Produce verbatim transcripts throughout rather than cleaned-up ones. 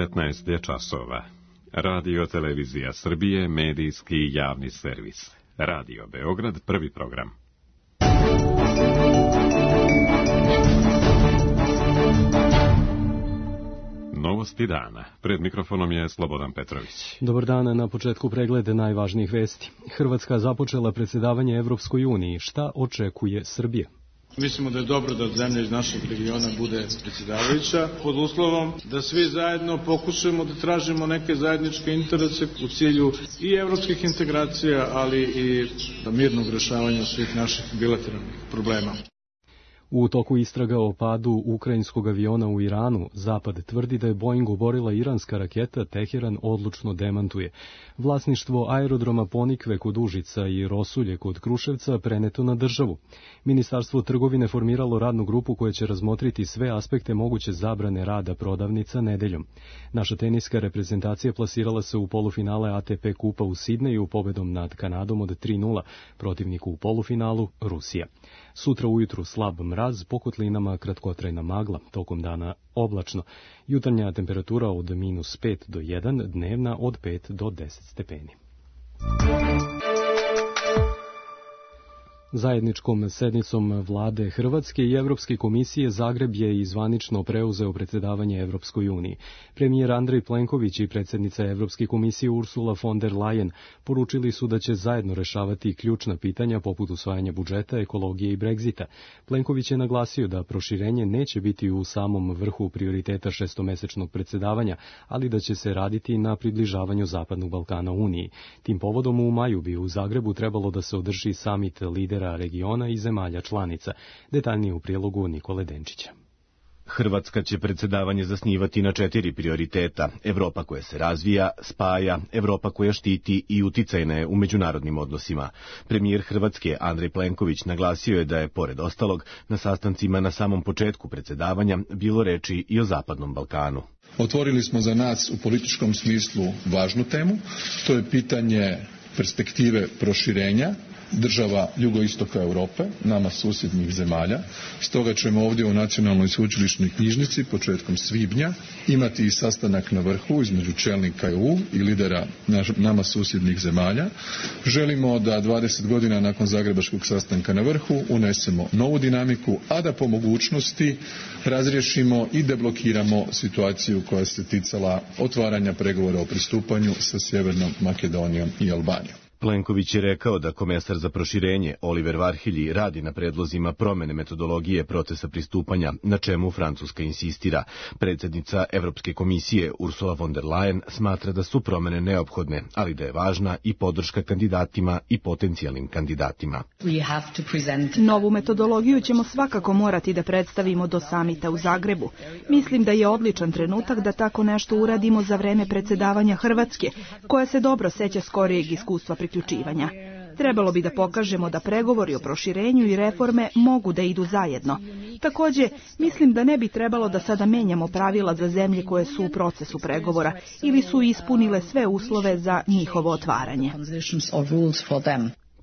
petnaest je časova. Radio Televizija Srbije, medijski javni servis. Radio Beograd, prvi program. Novosti dana. Pred mikrofonom je Slobodan Petrović. Dobar dan, na početku preglede najvažnijih vesti. Hrvatska započela predsjedavanje Evropskoj uniji. Šta očekuje Srbija? Mislimo da je dobro da zemlja iz našeg regiona bude predsjedavajuća, pod uslovom da svi zajedno pokušamo da tražimo neke zajedničke interese u cilju i evropskih integracija, ali i mirnog rešavanja svih naših bilateralnih problema. U toku istraga o padu ukrajinskog aviona u Iranu, Zapad tvrdi da je Boeing oborila iranska raketa, Teheran odlučno demantuje. Vlasništvo aerodroma Ponikve kod Užica i Rosulje kod Kruševca preneto na državu. Ministarstvo trgovine formiralo radnu grupu koja će razmotriti sve aspekte moguće zabrane rada prodavnica nedeljom. Naša teniska reprezentacija plasirala se u polufinale A T P kupa u Sidneju pobedom nad Kanadom od tri nula, protivniku u polufinalu Rusija. Sutra ujutru slab mraz, po kotlinama kratkotrajna magla, tokom dana oblačno. Jutarnja temperatura od minus pet do jedan, dnevna od pet do deset stepeni. Zajedničkom sednicom vlade Hrvatske i Evropske komisije Zagreb je i zvanično preuzeo predsjedavanje Evropskoj uniji. Premijer Andrej Plenković i predsjednica Evropske komisije Ursula von der Leyen poručili su da će zajedno rešavati ključna pitanja poput usvajanja budžeta, ekologije i Brexita. Plenković je naglasio da proširenje neće biti u samom vrhu prioriteta šestomesečnog predsjedavanja, ali da će se raditi na približavanju Zapadnog Balkana Uniji. Tim povodom u maju bi u Zagrebu trebalo da se održi samit lidera regiona i zemalja članica. Detaljnije u prilogu Nikole Denčića. Hrvatska će predsjedavanje zasnivati na četiri prioriteta. Evropa koja se razvija, spaja, Evropa koja štiti i uticajna je u međunarodnim odnosima. Premijer Hrvatske Andrej Plenković naglasio je da je, pored ostalog, na sastancima na samom početku predsjedavanja bilo reči i o Zapadnom Balkanu. Otvorili smo za nas u političkom smislu važnu temu, to je pitanje perspektive proširenja država jugoistoka Europe, nama susjednih zemalja. Stoga ćemo ovdje u Nacionalnoj sveučilišnoj knjižnici početkom svibnja imati i sastanak na vrhu između čelnika E U i lidera nama susjednih zemalja. Želimo da dvadeset godina nakon zagrebačkog sastanka na vrhu unesemo novu dinamiku, a da po mogućnosti razriješimo i deblokiramo situaciju koja se ticala otvaranja pregovora o pristupanju sa Sjevernom Makedonijom i Albanijom. Plenković je rekao da komesar za proširenje Oliver Varhelyi radi na predlozima promene metodologije procesa pristupanja, na čemu Francuska insistira. Predsjednica Evropske komisije Ursula von der Leyen smatra da su promene neophodne, ali da je važna i podrška kandidatima i potencijalnim kandidatima. Novu metodologiju ćemo svakako morati da predstavimo do samita u Zagrebu. Mislim da je odličan trenutak da tako nešto uradimo za vreme predsjedavanja Hrvatske, koja se dobro seća skorijeg iskustva priključivanja. Trebalo bi da pokažemo da pregovori o proširenju i reforme mogu da idu zajedno. Također, mislim da ne bi trebalo da sada menjamo pravila za zemlje koje su u procesu pregovora ili su ispunile sve uslove za njihovo otvaranje.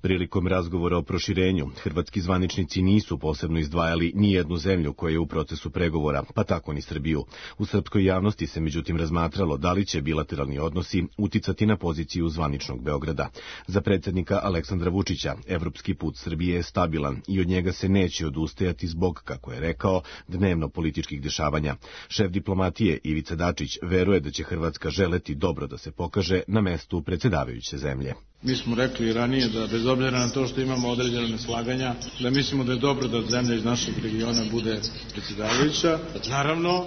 Prilikom razgovora o proširenju, hrvatski zvaničnici nisu posebno izdvajali ni jednu zemlju koja je u procesu pregovora, pa tako ni Srbiju. U srpskoj javnosti se međutim razmatralo da li će bilateralni odnosi uticati na poziciju zvaničnog Beograda. Za predsjednika Aleksandra Vučića, evropski put Srbije je stabilan i od njega se neće odustajati zbog, kako je rekao, dnevno političkih dešavanja. Šef diplomatije Ivica Dačić veruje da će Hrvatska želeti dobro da se pokaže na mestu predsjedavajuće zemlje. Mi smo rekli ranije da bez obzira na to što imamo određene neslaganja, da mislimo da je dobro da zemlja iz našeg regiona bude predsjedavajuća. Naravno,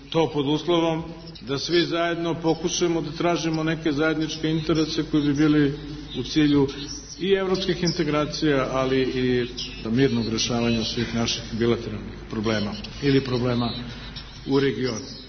to pod uslovom da svi zajedno pokušamo da tražimo neke zajedničke interese koji bi bili u cilju i evropskih integracija, ali i mirnog rešavanja svih naših bilateralnih problema ili problema u regionu.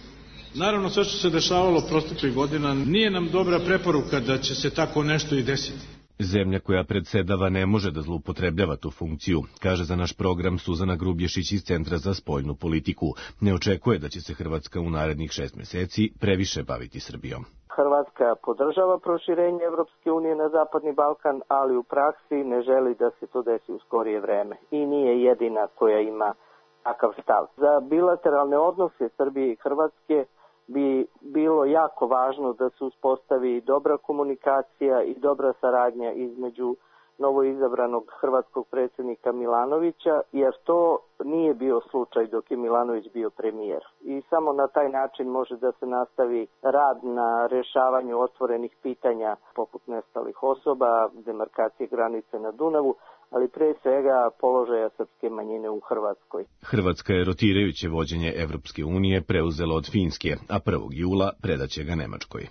Naravno, sve što se dešavalo proteklih godina nije nam dobra preporuka da će se tako nešto i desiti. Zemlja koja predsedava ne može da zloupotrebljava tu funkciju, kaže za naš program Suzana Grubješić iz Centra za spoljnu politiku. Ne očekuje da će se Hrvatska u narednih šest meseci previše baviti Srbijom. Hrvatska podržava proširenje Evropske unije na Zapadni Balkan, ali u praksi ne želi da se to desi u skorije vreme i nije jedina koja ima takav stav. Za bilateralne odnose Srbije i Hrvatske bi bilo jako važno da se uspostavi dobra komunikacija i dobra saradnja između novoizabranog hrvatskog predsjednika Milanovića, jer to nije bio slučaj dok je Milanović bio premijer. I samo na taj način može da se nastavi rad na rješavanju otvorenih pitanja poput nestalih osoba, demarkacije granice na Dunavu, ali pre svega položaja srpske manjine u Hrvatskoj. Hrvatska je rotirajuće vođenje Evropske unije preuzela od Finske, a prvog jula predaće ga Nemačkoj.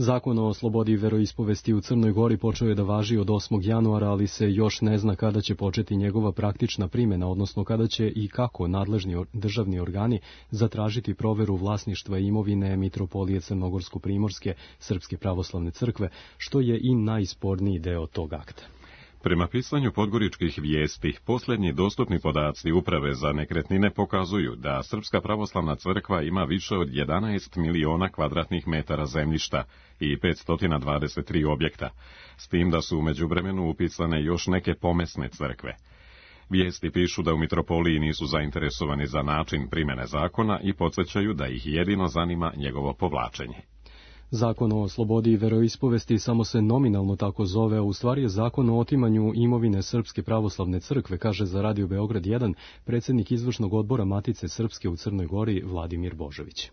Zakon o slobodi veroispovesti u Crnoj Gori počeo je da važi od osmog januara, ali se još ne zna kada će početi njegova praktična primjena, odnosno kada će i kako nadležni državni organi zatražiti proveru vlasništva imovine Mitropolije Crnogorsko-Primorske Srpske pravoslavne crkve, što je i najsporniji deo tog akta. Prema pisanju podgoričkih vijesti, posljednji dostupni podaci Uprave za nekretnine pokazuju da Srpska pravoslavna crkva ima više od jedanaest miliona kvadratnih metara zemljišta i petsto dvadeset tri objekta, s tim da su u međuvremenu upisane još neke pomesne crkve. Vijesti pišu da u Mitropoliji nisu zainteresovani za način primjene zakona i podsjećaju da ih jedino zanima njegovo povlačenje. Zakon o slobodi veroispovesti samo se nominalno tako zove, a u stvari je zakon o otimanju imovine Srpske pravoslavne crkve, kaže za Radio Beograd jedan predsjednik izvršnog odbora Matice Srpske u Crnoj Gori Vladimir Božović.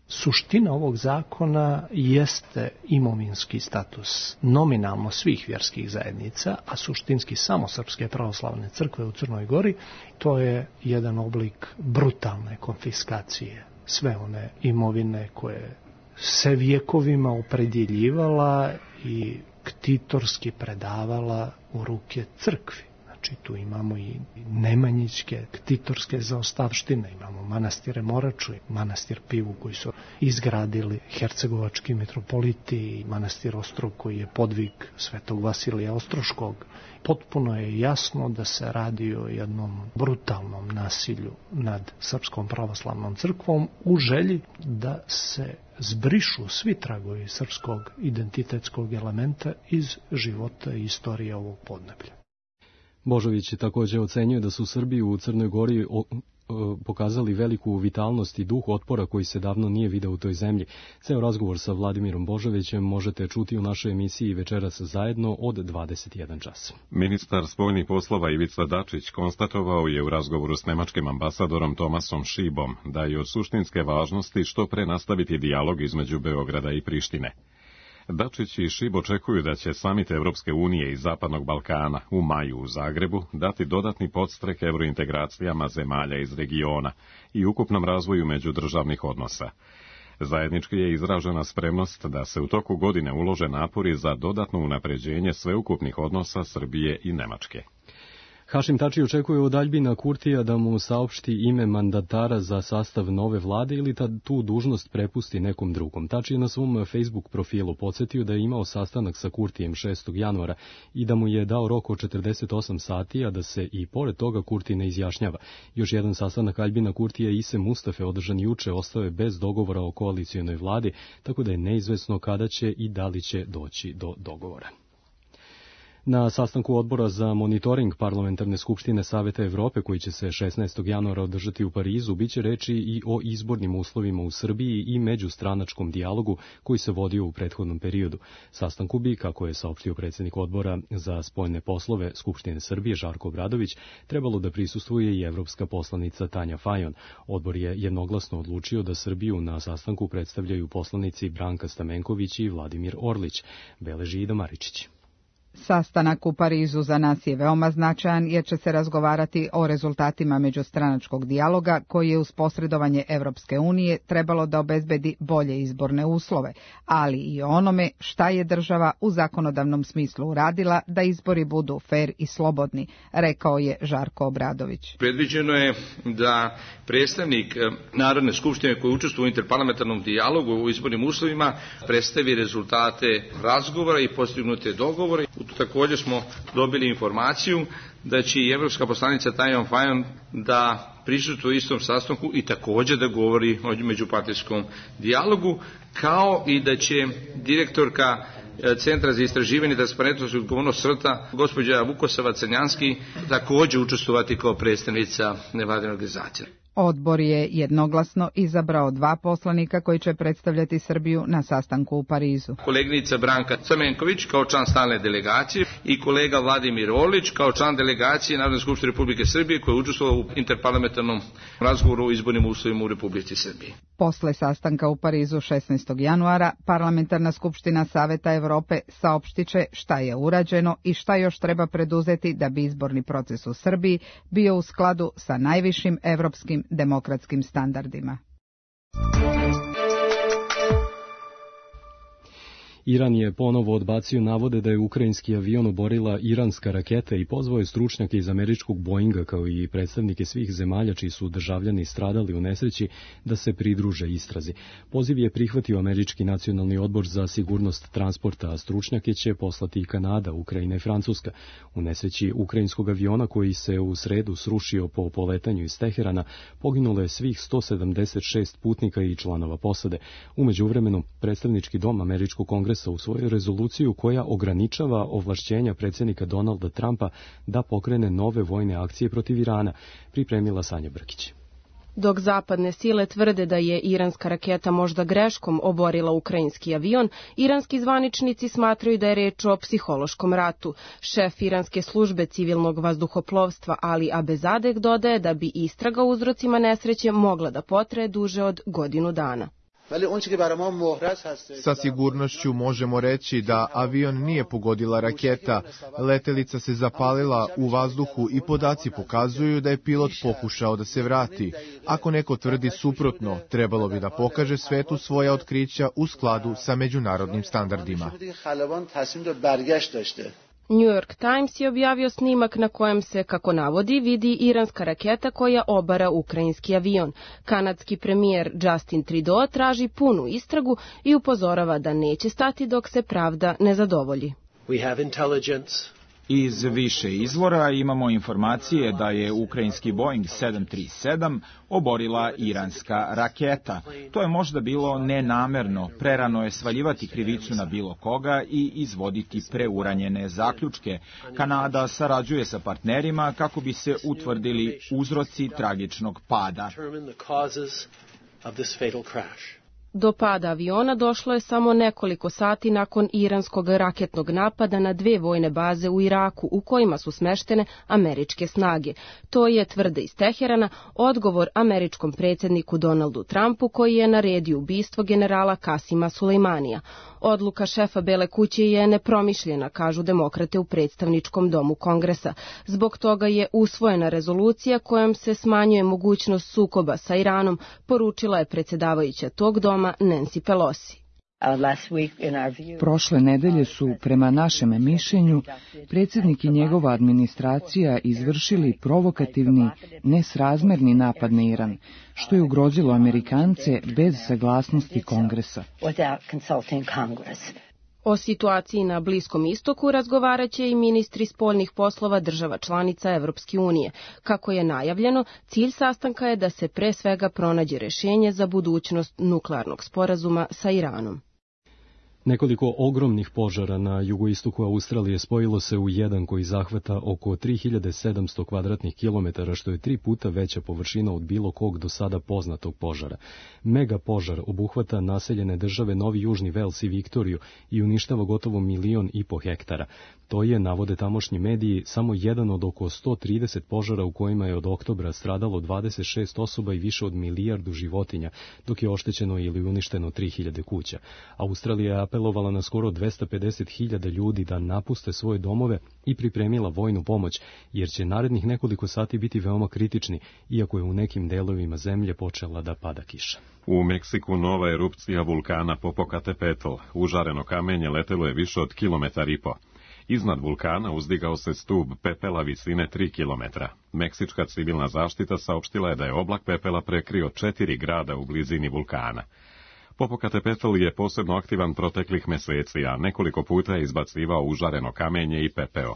Suština ovog zakona jeste imovinski status nominalno svih vjerskih zajednica, a suštinski samo Srpske pravoslavne crkve u Crnoj Gori. To je jedan oblik brutalne konfiskacije sve one imovine koje se vjekovima opredjeljivala i ktitorski predavala u ruke crkvi. Znači tu imamo i nemanjićke ktitorske zaostavštine, imamo manastire Moraču i manastir Pivu koji su izgradili hercegovački mitropoliti i manastir Ostrog koji je podvig svetog Vasilija Ostroškog. Potpuno je jasno da se radi o jednom brutalnom nasilju nad Srpskom pravoslavnom crkvom u želji da se zbrišu svi tragovi srpskog identitetskog elementa iz života i istorije ovog podneblja. Božović također ocenjuje da su Srbi u Crnoj Gori o, o, pokazali veliku vitalnost i duh otpora koji se davno nije video u toj zemlji. Ceo razgovor sa Vladimirom Božovićem možete čuti u našoj emisiji Večeras zajedno od dvadeset jedan čas. Ministar spoljnih poslova Ivica Dačić konstatovao je u razgovoru s nemačkim ambasadorom Tomasom Šibom da je od suštinske važnosti što pre nastaviti dijalog između Beograda i Prištine. Dačić i Šib očekuju da će samit Evropske unije i Zapadnog Balkana u maju u Zagrebu dati dodatni podstrek evrointegracijama zemalja iz regiona i ukupnom razvoju međudržavnih odnosa. Zajednički je izražena spremnost da se u toku godine ulože napori za dodatno unapređenje sveukupnih odnosa Srbije i Nemačke. Hašim Tači očekuje od Aljbina Kurtija da mu saopšti ime mandatara za sastav nove vlade ili da tu dužnost prepusti nekom drugom. Tači je na svom Facebook profilu podsjetio da je imao sastanak sa Kurtijem šestog januara i da mu je dao rok od četrdeset osam sati, a da se i pored toga Kurti ne izjašnjava. Još jedan sastanak Aljbina Kurtija i Ise Mustafe održan juče ostao je bez dogovora o koalicionoj vladi, tako da je neizvesno kada će i da li će doći do dogovora. Na sastanku odbora za monitoring Parlamentarne skupštine Saveta Evrope, koji će se šesnaestog januara održati u Parizu, biće reči i o izbornim uslovima u Srbiji i međustranačkom dijalogu koji se vodio u prethodnom periodu. Sastanku bi, kako je saopštio predsjednik odbora za spoljne poslove Skupštine Srbije Žarko Obradović, trebalo da prisustvuje i evropska poslanica Tanja Fajon. Odbor je jednoglasno odlučio da Srbiju na sastanku predstavljaju poslanici Branka Stamenković i Vladimir Orlić, beleži Ida Maričić. Sastanak u Parizu za nas je veoma značajan jer će se razgovarati o rezultatima međustranačkog dijaloga koji je uz posredovanje Evropske unije trebalo da obezbedi bolje izborne uslove, ali i o onome šta je država u zakonodavnom smislu uradila da izbori budu fer i slobodni, rekao je Žarko Obradović. Predviđeno je da predstavnik Narodne skupštine koji učestvuje u interparlamentarnom dijalogu u izbornim uslovima predstavi rezultate razgovora i postignute dogovore. Također smo dobili informaciju da će i evropska poslanica Tanja Fajon da prisustvuje u istom sastanku i također da govori o međupartijskom dijalogu, kao i da će direktorka Centra za istraživanje transparentnosti i odgovornost SRTA, gospođa Vukosava Crnjanski, također učestvovati kao predstavnica nevladine organizacije. Odbor je jednoglasno izabrao dva poslanika koji će predstavljati Srbiju na sastanku u Parizu. Koleginica Branka Crmenković kao član stalne delegacije i kolega Vladimir Orlić kao član delegacije Narodne skupštine Republike Srbije koji je učestvovao u interparlamentarnom razgovoru o izbornim uslovima u Republici Srbiji. Posle sastanka u Parizu šesnaestog januara, Parlamentarna skupština Saveta Evrope saopštiće šta je urađeno i šta još treba preduzeti da bi izborni proces u Srbiji bio u skladu sa najvišim evropskim demokratskim standardima. Iran je ponovo odbacio navode da je ukrajinski avion oborila iranska raketa i pozvao je stručnjake iz američkog Boeinga kao i predstavnike svih zemalja čiji su državljani stradali u nesreći da se pridruže istrazi. Poziv je prihvatio Američki nacionalni odbor za sigurnost transporta, a stručnjake će poslati i Kanada, Ukrajina i Francuska. U nesreći ukrajinskog aviona koji se u sredu srušio po poletanju iz Teherana poginulo je svih sto sedamdeset šest putnika i članova posade. U međuvremenu predstavnički dom Američkog kongresa u svoju rezoluciju koja ograničava ovlašćenja predsjednika Donalda Trumpa da pokrene nove vojne akcije protiv Irana, pripremila Sanja Brkić. Dok zapadne sile tvrde da je iranska raketa možda greškom oborila ukrajinski avion, iranski zvaničnici smatraju da je reč o psihološkom ratu. Šef iranske službe civilnog vazduhoplovstva Ali Abezadeh dodaje da bi istraga o uzrocima nesreće mogla da potraje duže od godinu dana. Sa sigurnošću možemo reći da avion nije pogodila raketa, letelica se zapalila u vazduhu i podaci pokazuju da je pilot pokušao da se vrati. Ako neko tvrdi suprotno, trebalo bi da pokaže svetu svoja otkrića u skladu sa međunarodnim standardima. New York Times je objavio snimak na kojem se, kako navodi, vidi iranska raketa koja obara ukrajinski avion. Kanadski premijer Justin Trudeau traži punu istragu i upozorava da neće stati dok se pravda ne zadovolji. We have intelligence. Iz više izvora imamo informacije da je ukrajinski Boeing sedam tri sedam oborila iranska raketa. To je možda bilo nenamerno, prerano je svaljivati krivicu na bilo koga i izvoditi preuranjene zaključke. Kanada sarađuje sa partnerima kako bi se utvrdili uzroci tragičnog pada. Do pada aviona došlo je samo nekoliko sati nakon iranskog raketnog napada na dve vojne baze u Iraku u kojima su smeštene američke snage. To je, tvrde iz Teherana, odgovor američkom predsjedniku Donaldu Trumpu koji je naredio ubistvo generala Kasima Sulejmanija. Odluka šefa Bele kuće je nepromišljena, kažu demokrate u predstavničkom domu Kongresa. Zbog toga je usvojena rezolucija kojom se smanjuje mogućnost sukoba sa Iranom, poručila je predsjedavajuća tog doma Nancy Pelosi. Prošle nedelje su, prema našem mišljenju, predsjednik i njegova administracija izvršili provokativni, nesrazmerni napad na Iran, što je ugrozilo Amerikance bez saglasnosti Kongresa. O situaciji na Bliskom istoku razgovarat će i ministri spoljnih poslova država članica Evropske unije. Kako je najavljeno, cilj sastanka je da se pre svega pronađe rešenje za budućnost nuklearnog sporazuma sa Iranom. Nekoliko ogromnih požara na jugoistoku Australije spojilo se u jedan koji zahvata oko tri hiljade sedamsto kvadratnih kilometara, što je tri puta veća površina od bilo kog do sada poznatog požara. Mega požar obuhvata naseljene države Novi Južni Vels i Viktoriju i uništava gotovo milion i po hektara. To je, navode tamošnji mediji, samo jedan od oko sto trideset požara u kojima je od oktobra stradalo dvadeset šest osoba i više od milijardu životinja, dok je oštećeno ili uništeno tri hiljade kuća. Australija je apelovala na skoro dvesta pedeset hiljada ljudi da napuste svoje domove i pripremila vojnu pomoć, jer će narednih nekoliko sati biti veoma kritični, iako je u nekim delovima zemlje počela da pada kiša. U Meksiku nova erupcija vulkana Popocatépetl. Užareno kamenje letelo je više od kilometar i po. Iznad vulkana uzdigao se stub pepela visine tri kilometra. Meksička civilna zaštita saopštila je da je oblak pepela prekrio četiri grada u blizini vulkana. Popocatépetl je posebno aktivan proteklih meseci, a nekoliko puta je izbacivao užareno kamenje i pepeo.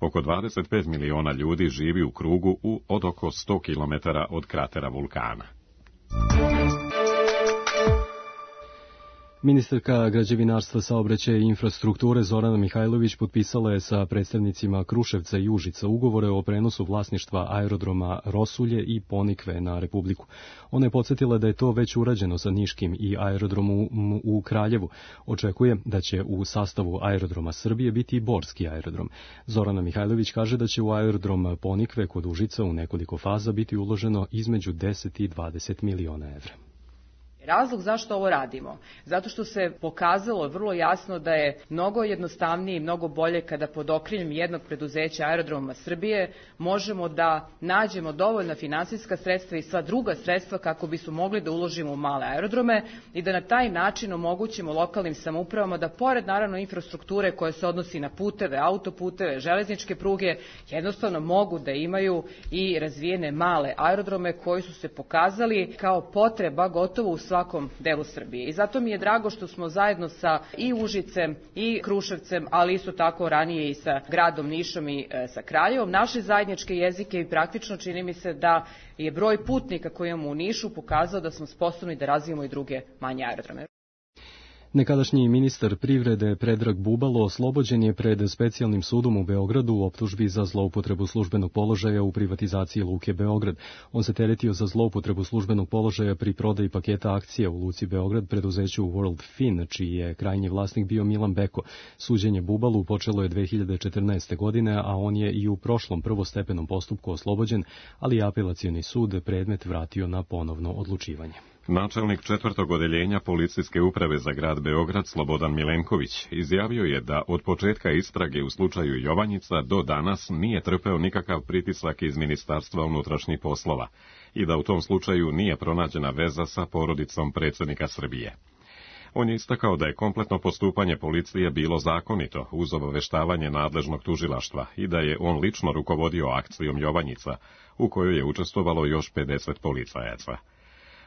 Oko dvadeset pet miliona ljudi živi u krugu u od oko sto kilometara od kratera vulkana. Ministarka građevinarstva, saobraćaja i infrastrukture Zorana Mihajlović potpisala je sa predstavnicima Kruševca i Užica ugovore o prenosu vlasništva aerodroma Rosulje i Ponikve na Republiku. Ona je podsjetila da je to već urađeno sa Niškim i aerodromom u Kraljevu. Očekuje da će u sastavu aerodroma Srbije biti i Borski aerodrom. Zorana Mihajlović kaže da će u aerodrom Ponikve kod Užica u nekoliko faza biti uloženo između deset i dvadeset miliona evra. Razlog zašto ovo radimo? Zato što se pokazalo vrlo jasno da je mnogo jednostavnije i mnogo bolje kada pod okriljem jednog preduzeća Aerodroma Srbije možemo da nađemo dovoljna finansijska sredstva i sva druga sredstva kako bismo mogli da uložimo u male aerodrome i da na taj način omogućimo lokalnim samoupravama da pored naravno infrastrukture koje se odnosi na puteve, autoputeve, železničke pruge, jednostavno mogu da imaju i razvijene male aerodrome koji su se pokazali kao potreba gotovo u svakom delu Srbije. I zato mi je drago što smo zajedno sa i Užicem i Kruševcem, ali isto tako ranije i sa gradom Nišom i e, sa Kraljevom, naše zajedničke jezike i praktično čini mi se da je broj putnika koji imamo u Nišu pokazao da smo sposobni da razvijemo i druge manje aerodrome. Nekadašnji ministar privrede Predrag Bubalo oslobođen je pred specijalnim sudom u Beogradu u optužbi za zloupotrebu službenog položaja u privatizaciji Luke Beograd. On se teretio za zloupotrebu službenog položaja pri prodaji paketa akcija u Luci Beograd preduzeću World Fin, čiji je krajnji vlasnik bio Milan Beko. Suđenje Bubalu počelo je dve hiljade četrnaeste. godine, a on je i u prošlom prvostepenom postupku oslobođen, ali apelacioni sud predmet vratio na ponovno odlučivanje. Načelnik četvrtog odeljenja policijske uprave za grad Beograd Slobodan Milenković izjavio je da od početka istrage u slučaju Jovanjica do danas nije trpeo nikakav pritisak iz Ministarstva unutrašnjih poslova i da u tom slučaju nije pronađena veza sa porodicom predsjednika Srbije. On je istakao da je kompletno postupanje policije bilo zakonito uz obaveštavanje nadležnog tužilaštva i da je on lično rukovodio akcijom Jovanjica, u kojoj je učestvovalo još pedeset policajaca.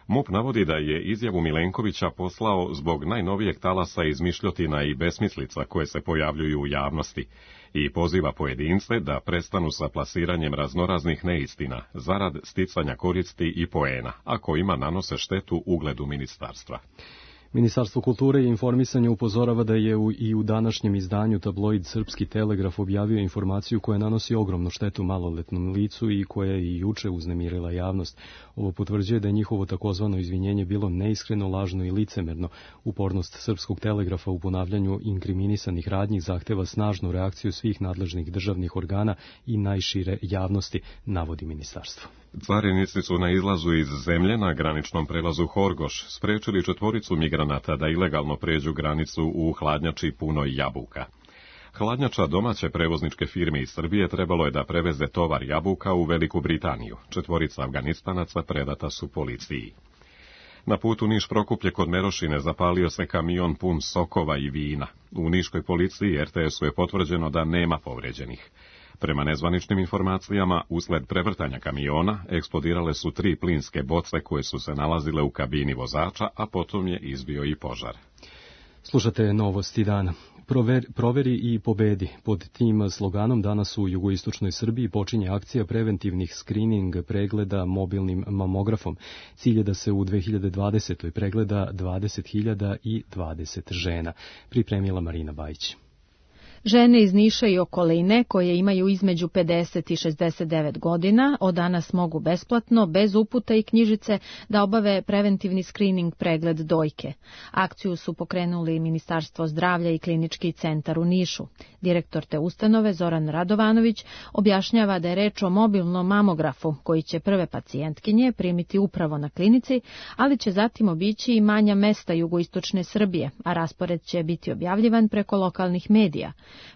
MUP navodi da je izjavu Milenkovića poslao zbog najnovijeg talasa izmišljotina i besmislica koje se pojavljuju u javnosti i poziva pojedince da prestanu sa plasiranjem raznoraznih neistina zarad sticanja koristi i poena, a kojima nanose štetu ugledu ministarstva. Ministarstvo kulture i informisanja upozorava da je u, i u današnjem izdanju tabloid Srpski telegraf objavio informaciju koja nanosi ogromnu štetu maloletnom licu i koja je i juče uznemirila javnost. Ovo potvrđuje da je njihovo takozvano izvinjenje bilo neiskreno, lažno i licemerno. Upornost Srpskog telegrafa u ponavljanju inkriminisanih radnji zahteva snažnu reakciju svih nadležnih državnih organa i najšire javnosti, navodi ministarstvo. Carinici su na izlazu iz zemlje na graničnom prelazu Horgoš sprečili četvoricu migranata da ilegalno pređu granicu u hladnjači punoj jabuka. Hladnjača domaće prevozničke firme iz Srbije trebalo je da preveze tovar jabuka u Veliku Britaniju. Četvorica Afganistanaca predata su policiji. Na putu Niš-Prokuplje kod Merošine zapalio se kamion pun sokova i vina. U niškoj policiji er te esu je potvrđeno da nema povređenih. Prema nezvaničnim informacijama, usled prevrtanja kamiona, eksplodirale su tri plinske boce koje su se nalazile u kabini vozača, a potom je izbio i požar. Slušate novosti dana. Prover, proveri i pobedi. Pod tim sloganom danas u jugoistočnoj Srbiji počinje akcija preventivnih skrining pregleda mobilnim mamografom. Cilj je da se u dve hiljade dvadesetoj pregleda dvadeset hiljada dvadeset žena. Pripremila Marina Bajić. Žene iz Niša i okoline, koje imaju između pedeset i šezdeset devet godina, od danas mogu besplatno, bez uputa i knjižice, da obave preventivni skrining pregled dojke. Akciju su pokrenuli Ministarstvo zdravlja i Klinički centar u Nišu. Direktor te ustanove, Zoran Radovanović, objašnjava da je reč o mobilnom mamografu, koji će prve pacijentkinje primiti upravo na klinici, ali će zatim obići i manja mesta jugoistočne Srbije, a raspored će biti objavljivan preko lokalnih medija.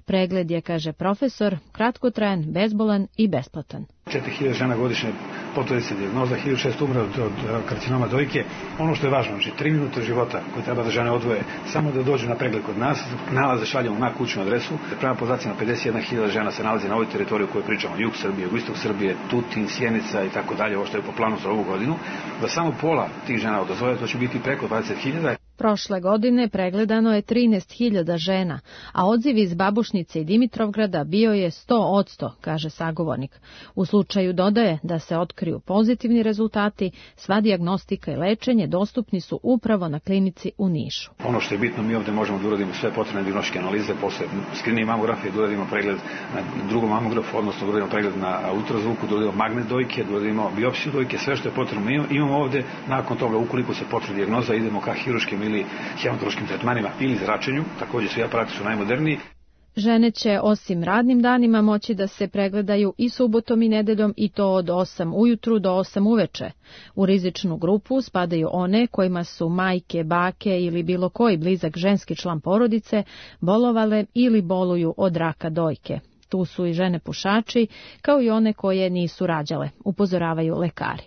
Pregled je, kaže profesor, kratkotrajan, bezbolan i besplatan. četiri hiljade žena godišnje potvrdi se dijagnoza, hiljadu šesto umre od, od karcinoma dojke. Ono što je važno, znači tri minute života koje treba da žene odvoje, samo da dođu na pregled kod nas, nalaze šaljamo na kućnu adresu. Prema podacima pedeset jedna hiljada žena se nalazi na ovoj teritoriji o kojoj pričamo, jug Srbije, jugoistok Srbije, Tutin, Sjenica i tako dalje, ovo što je po planu za ovu godinu. Da samo pola tih žena odazove, to će biti preko dvadeset hiljada. Prošle godine pregledano je trinaest hiljada žena, a odziv iz Babušnice i Dimitrovgrada bio je sto odsto, kaže sagovornik. U slučaju dodaje da se otkriju pozitivni rezultati, sva dijagnostika i lečenje dostupni su upravo na klinici u Nišu. Ono što je bitno, mi ovde možemo da uradimo sve potrebne dijagnostičke analize, posle skrining mamografije, da uradimo pregled na drugom mamografu, odnosno da uradimo pregled na ultrazvuku, da uradimo magnet dojke, da uradimo biopsiju dojke, sve što je potrebno imamo ovde. Nakon toga, ukoliko se potvrdi dijagnoza, idemo ka hiruškim ili hematološkim tretmanima ili zračenju, takođe svi aparati su najmoderniji. Žene će osim radnim danima moći da se pregledaju i subotom i nedeljom i to od osam ujutru do osam uveče. U rizičnu grupu spadaju one kojima su majke, bake ili bilo koji blizak ženski član porodice bolovale ili boluju od raka dojke. Tu su i žene pušači, kao i one koje nisu rađale, upozoravaju lekari.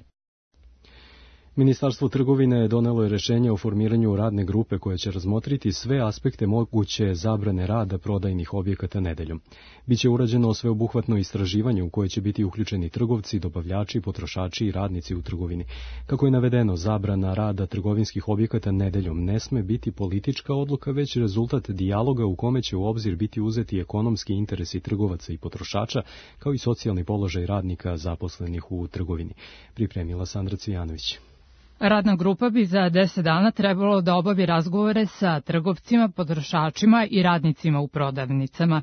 Ministarstvo trgovine donelo je rešenje o formiranju radne grupe koja će razmotriti sve aspekte moguće zabrane rada prodajnih objekata nedeljom. Biće urađeno sveobuhvatno istraživanje u koje će biti uključeni trgovci, dobavljači, potrošači i radnici u trgovini. Kako je navedeno, zabrana rada trgovinskih objekata nedeljom ne sme biti politička odluka, već rezultat dijaloga u kome će u obzir biti uzeti ekonomski interesi trgovaca i potrošača, kao i socijalni položaj radnika zaposlenih u trgovini. Pripremila Sandra Cvijanović. Radna grupa bi za deset dana trebalo da obavi razgovore sa trgovcima, potrošačima i radnicima u prodavnicama.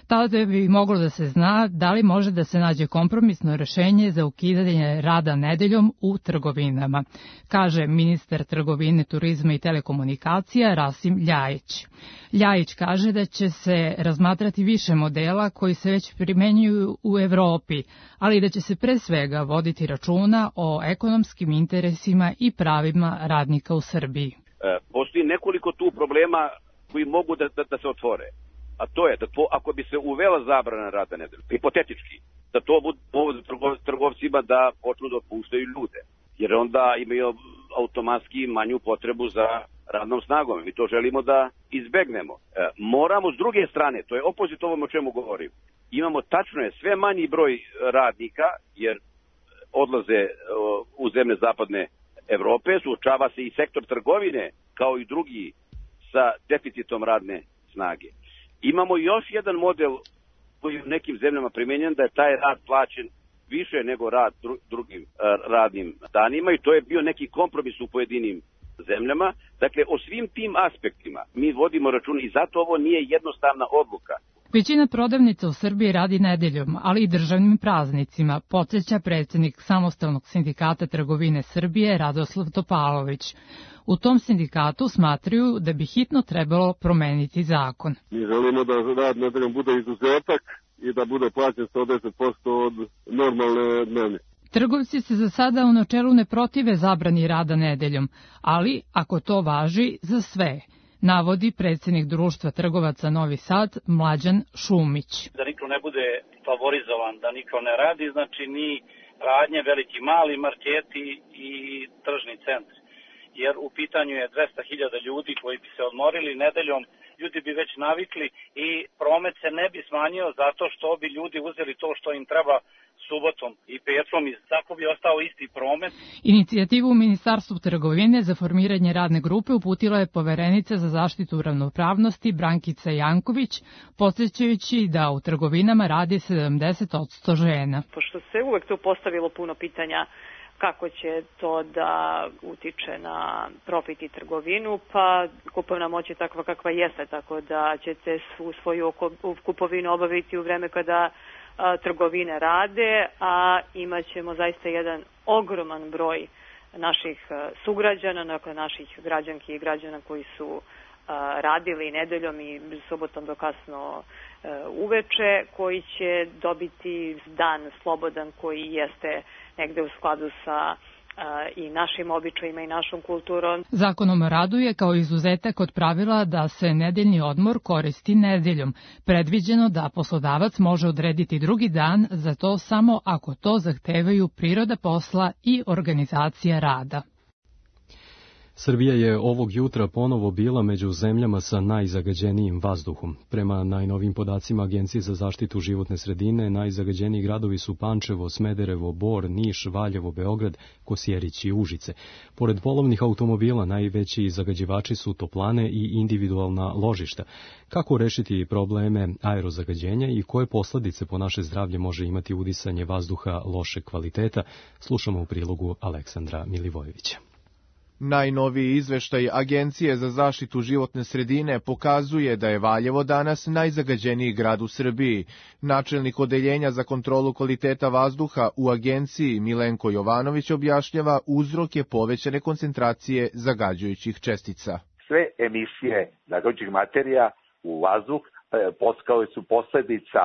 Tada bi moglo da se zna da li može da se nađe kompromisno rešenje za ukidanje rada nedeljom u trgovinama, kaže ministar trgovine, turizma i telekomunikacija Rasim Ljajić. Ljajić kaže da će se razmatrati više modela koji se već primenjuju u Evropi, ali da će se pre svega voditi računa o ekonomskim interesima i pravima radnika u Srbiji. Postoji nekoliko tu problema koji mogu da, da, da se otvore. A to je da to, ako bi se uvela zabrana rada nedeljom, hipotetički, da to bude povod trgovcima da počnu da otpuštaju ljude. Jer onda imaju automatski manju potrebu za radnom snagom. Mi to želimo da izbegnemo. E, moramo s druge strane, to je opozit ovom o čemu govorim, imamo tačno je sve manji broj radnika, jer odlaze u zemlje zapadne Evrope, suočava se i sektor trgovine, kao i drugi, sa deficitom radne snage. Imamo još jedan model koji je u nekim zemljama primenjen, da je taj rad plaćen više nego rad dru, drugim uh, radnim danima i to je bio neki kompromis u pojedinim zemljama. Dakle, o svim tim aspektima mi vodimo račun i zato ovo nije jednostavna odluka. Većina prodavnica u Srbiji radi nedeljom, ali i državnim praznicima, podsjeća predsjednik Samostalnog sindikata trgovine Srbije Radoslav Topalović. U tom sindikatu smatraju da bi hitno trebalo promeniti zakon. Mi želimo da rad nedeljom bude izuzetak i da bude plaćen sto deset posto od normalne dnevne. Trgovci se za sada u načelu ne protive zabrani rada nedeljom, ali ako to važi za sve, navodi predsjednik Društva trgovaca Novi Sad Mlađan Šumić. Da niko ne bude favorizovan, da niko ne radi, znači ni radnje, veliki mali marketi i tržni centri. Jer u pitanju je dvesta hiljada ljudi koji bi se odmorili nedeljom, ljudi bi već navikli i promet se ne bi smanjio zato što bi ljudi uzeli to što im treba subotom i petkom i tako bi ostao isti promet. Inicijativu u Ministarstvu trgovine za formiranje radne grupe uputila je poverenica za zaštitu ravnopravnosti Brankica Janković, podsjećajući da u trgovinama radi sedamdeset posto žena. Pošto se uvek tu postavilo puno pitanja kako će to da utiče na profit i trgovinu, pa kupovna moć je takva kakva jeste, tako da ćete svoju kupovinu obaviti u vreme kada a, trgovine rade, a imat ćemo zaista jedan ogroman broj naših a, sugrađana, dakle naših građanki i građana koji su a, radili nedeljom i subotom do kasno a, uveče, koji će dobiti dan slobodan koji jeste negde u skladu sa i našim običajima i našom kulturom. Zakonom o radu je kao izuzetak od pravila da se nedeljni odmor koristi nedeljom. Predviđeno da poslodavac može odrediti drugi dan, za to samo ako to zahtevaju priroda posla i organizacija rada. Srbija je ovog jutra ponovo bila među zemljama sa najzagađenijim vazduhom. Prema najnovim podacima Agencije za zaštitu životne sredine, najzagađeniji gradovi su Pančevo, Smederevo, Bor, Niš, Valjevo, Beograd, Kosjerić i Užice. Pored polovnih automobila, najveći zagađivači su toplane i individualna ložišta. Kako rešiti probleme aerozagađenja i koje posledice po naše zdravlje može imati udisanje vazduha lošeg kvaliteta, slušamo u prilogu Aleksandra Milivojevića. Najnoviji izveštaj Agencije za zaštitu životne sredine pokazuje da je Valjevo danas najzagađeniji grad u Srbiji. Načelnik odeljenja za kontrolu kvaliteta vazduha u agenciji Milenko Jovanović objašnjava uzroke povećane koncentracije zagađujućih čestica. Sve emisije zagađujućih materija u vazduh kao su posledica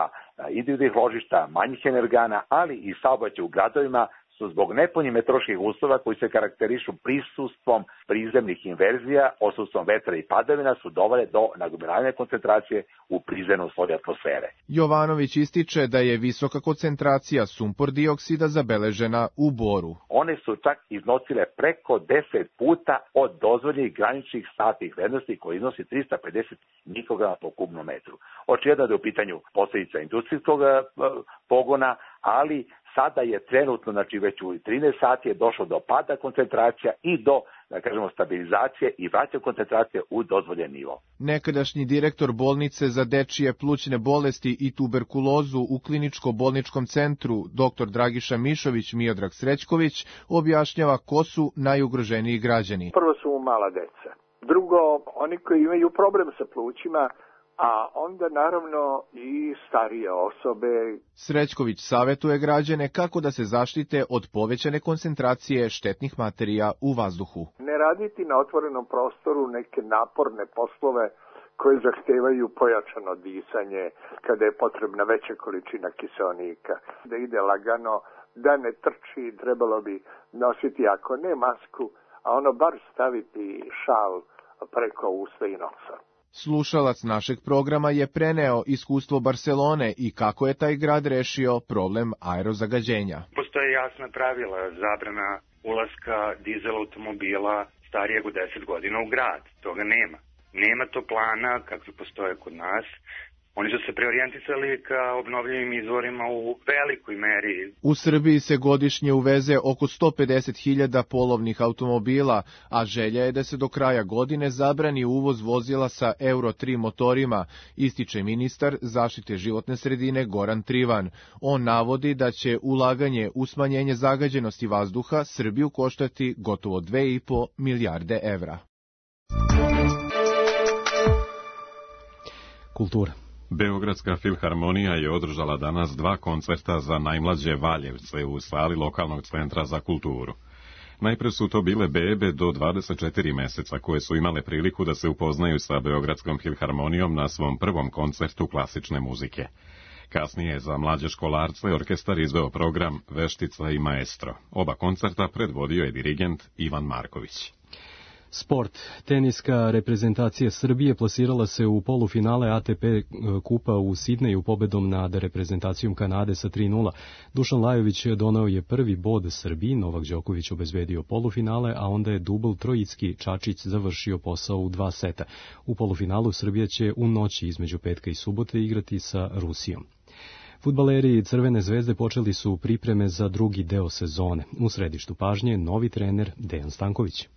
individualnih ložišta, manjih energana, ali i saobraćaja u gradovima su zbog nepovoljnih meteoroloških uslova koji se karakterišu prisustvom prizemnih inverzija, odsustvom vetra i padavina su dovele do nagomilavanja koncentracije u prizemnom sloju atmosfere. Jovanović ističe da je visoka koncentracija sumpor dioksida zabeležena u Boru. One su čak iznosile preko deset puta od dozvoljenih graničnih statnih vrednosti koji iznosi trista pedeset mikrograma po kubnom metru. Očigledno da je u pitanju posljedica industrijskog pogona, ali sada je trenutno, znači već u trinaest sati je došlo do pada koncentracija i do, da kažemo, stabilizacije i vraćanja koncentracije u dozvoljen nivo. Nekadašnji direktor bolnice za dečije plućne bolesti i tuberkulozu u kliničko-bolničkom centru dr Dragiša Mišović Miodrag Srećković objašnjava ko su najugroženiji građani. Prvo su mala deca. Drugo, oni koji imaju problem sa plućima, a onda naravno i starije osobe. Srećković savjetuje građane kako da se zaštite od povećane koncentracije štetnih materija u vazduhu. Ne raditi na otvorenom prostoru neke naporne poslove koje zahtevaju pojačano disanje, kada je potrebna veća količina kiseonika. Da ide lagano, da ne trči, trebalo bi nositi, ako ne masku, a ono bar staviti šal preko usta i nosa. Slušalac našeg programa je preneo iskustvo Barcelone i kako je taj grad rešio problem aerozagađenja. Postoje jasna pravila, zabrana ulaska dizel automobila starijeg od deset godina u grad. Toga nema. Nema to plana kakvi postoje kod nas. Oni su se preorijentisali ka obnovljivim izvorima u velikoj meri. U Srbiji se godišnje uveze oko sto pedeset hiljada polovnih automobila, a želja je da se do kraja godine zabrani uvoz vozila sa Euro tri motorima, ističe ministar zaštite životne sredine Goran Trivan. On navodi da će ulaganje u smanjenje zagađenosti vazduha Srbiju koštati gotovo dve i po milijarde evra. Kultura. Beogradska filharmonija je održala danas dva koncerta za najmlađe Valjevce u sali lokalnog centra za kulturu. Najpre su to bile bebe do dvadeset četiri meseca koje su imale priliku da se upoznaju sa Beogradskom filharmonijom na svom prvom koncertu klasične muzike. Kasnije je za mlađe školarce orkestar izveo program Veštica i maestro. Oba koncerta predvodio je dirigent Ivan Marković. Sport. Teniska reprezentacija Srbije plasirala se u polufinale A T P kupa u Sidneju pobedom nad reprezentacijom Kanade sa tri nula. Dušan Lajović doneo je prvi bod Srbiji, Novak Đoković obezbedio polufinale, a onda je dubl Trojicki Čačić završio posao u dva seta. U polufinalu Srbija će u noći između petka i subote igrati sa Rusijom. Fudbaleri Crvene zvezde počeli su pripreme za drugi deo sezone. U središtu pažnje novi trener Dejan Stanković.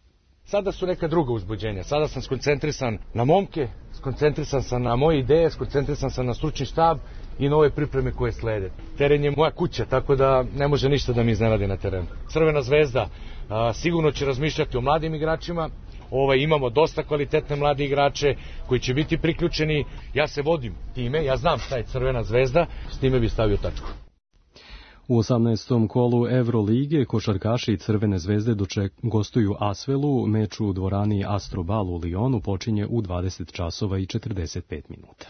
Sada su neka druga uzbuđenja. Sada sam skoncentrisan na momke, skoncentrisan sam na moje ideje, skoncentrisan sam na stručni štab i nove pripreme koje slede. Teren je moja kuća, tako da ne može ništa da mi iznenadi na terenu. Crvena zvezda a, sigurno će razmišljati o mladim igračima. Ovaj, imamo dosta kvalitetne mlade igrače koji će biti priključeni. Ja se vodim time, ja znam šta je Crvena zvezda, s time bi stavio tačku. U osamnaestom kolu Evrolige košarkaši Crvene zvezde doček gostuju Asvelu, meč u dvorani Astrobal u Lionu počinje u dvadeset časova i četrdeset pet minuta.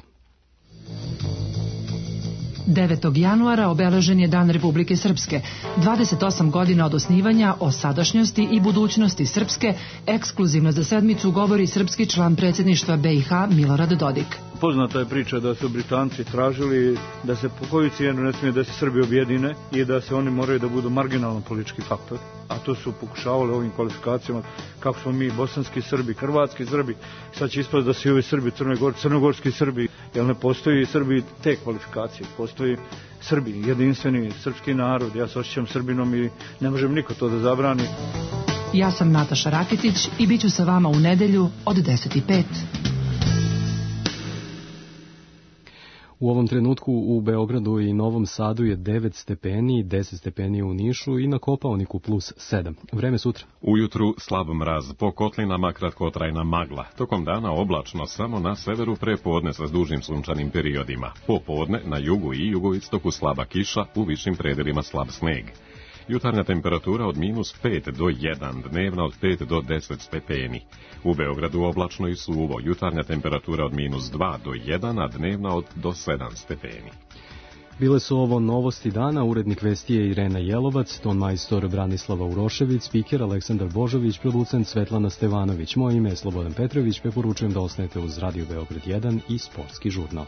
devetog januara obeležen je Dan Republike Srpske. dvadeset osam godina od osnivanja, o sadašnjosti i budućnosti Srpske, ekskluzivno za sedmicu govori srpski član predsjedništva B i H Milorad Dodik. Poznata je priča da su Britanci tražili da se po koju cijenu ne smije da se Srbi objedine i da se oni moraju da budu marginalan politički faktor. A to su pokušavali ovim kvalifikacijama kako smo mi bosanski Srbi, hrvatski Srbi, sad će ispast da su i ovi Srbi, Crnogor, crnogorski Srbi, jer ne postoji Srbi te kvalifikacije, postoji Srbi, jedinstveni srpski narod, ja se osjećam Srbinom i ne možem niko to da zabrani. Ja sam Nataša Rakitić i bit ću sa vama u nedelju od deset i pet. U ovom trenutku u Beogradu i Novom Sadu je devet stepeni, deset stepeni u Nišu i na Kopaoniku plus sedam. Vreme sutra. Ujutru slab mraz, po kotlinama kratkotrajna magla. Tokom dana oblačno samo na severu, prepodne sa dužim sunčanim periodima. Popodne na jugu i jugoistoku slaba kiša, u višim predelima slab sneg. Jutarnja temperatura od minus pet do jedan, dnevna od pet do deset stepeni. U Beogradu oblačno i suvo, jutarnja temperatura od minus dva do jedan, a dnevna od do sedam stepeni. Bile su ovo novosti dana, urednik vesti je Irena Jelovac, ton majstor Branislava Urošević, spiker Aleksandar Božović, producent Svetlana Stevanović. Moje ime je Slobodan Petrović, preporučujem da ostanete uz Radio Beograd jedan i Sportski žurnal.